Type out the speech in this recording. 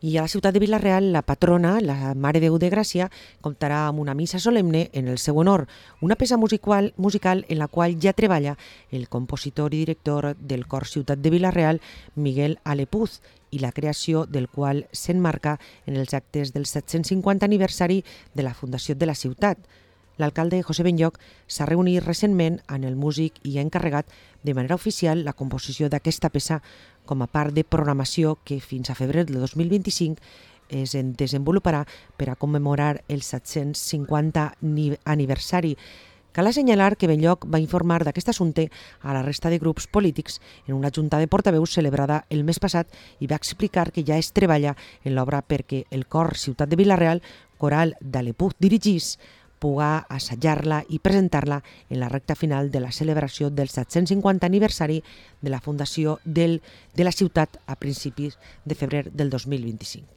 I a la ciutat de Vila-real, la patrona, la Mare Déu de Gràcia, comptarà amb una missa solemne en el seu honor, una peça musical en la qual ja treballa el compositor i director del cor Ciutat de Vila-real, Miguel Alepuz, i la creació del qual s'enmarca en els actes del 750 aniversari de la fundació de la ciutat. L'alcalde José Benlloch s'ha reunit recentment amb el músic i ha encarregat de manera oficial la composició d'aquesta peça com a part de programació que fins a febrer de 2025 es desenvoluparà per a commemorar el 750 aniversari. Cal assenyalar que Benlloch va informar d'aquest assumpte a la resta de grups polítics en una junta de portaveus celebrada el mes passat i va explicar que ja es treballa en l'obra perquè el cor Ciutat de Vila-real, coral d'Alepuz dirigís, puga assajar-la i presentar-la en la recta final de la celebració del 750 aniversari de la fundació de la ciutat a principis de febrer del 2025.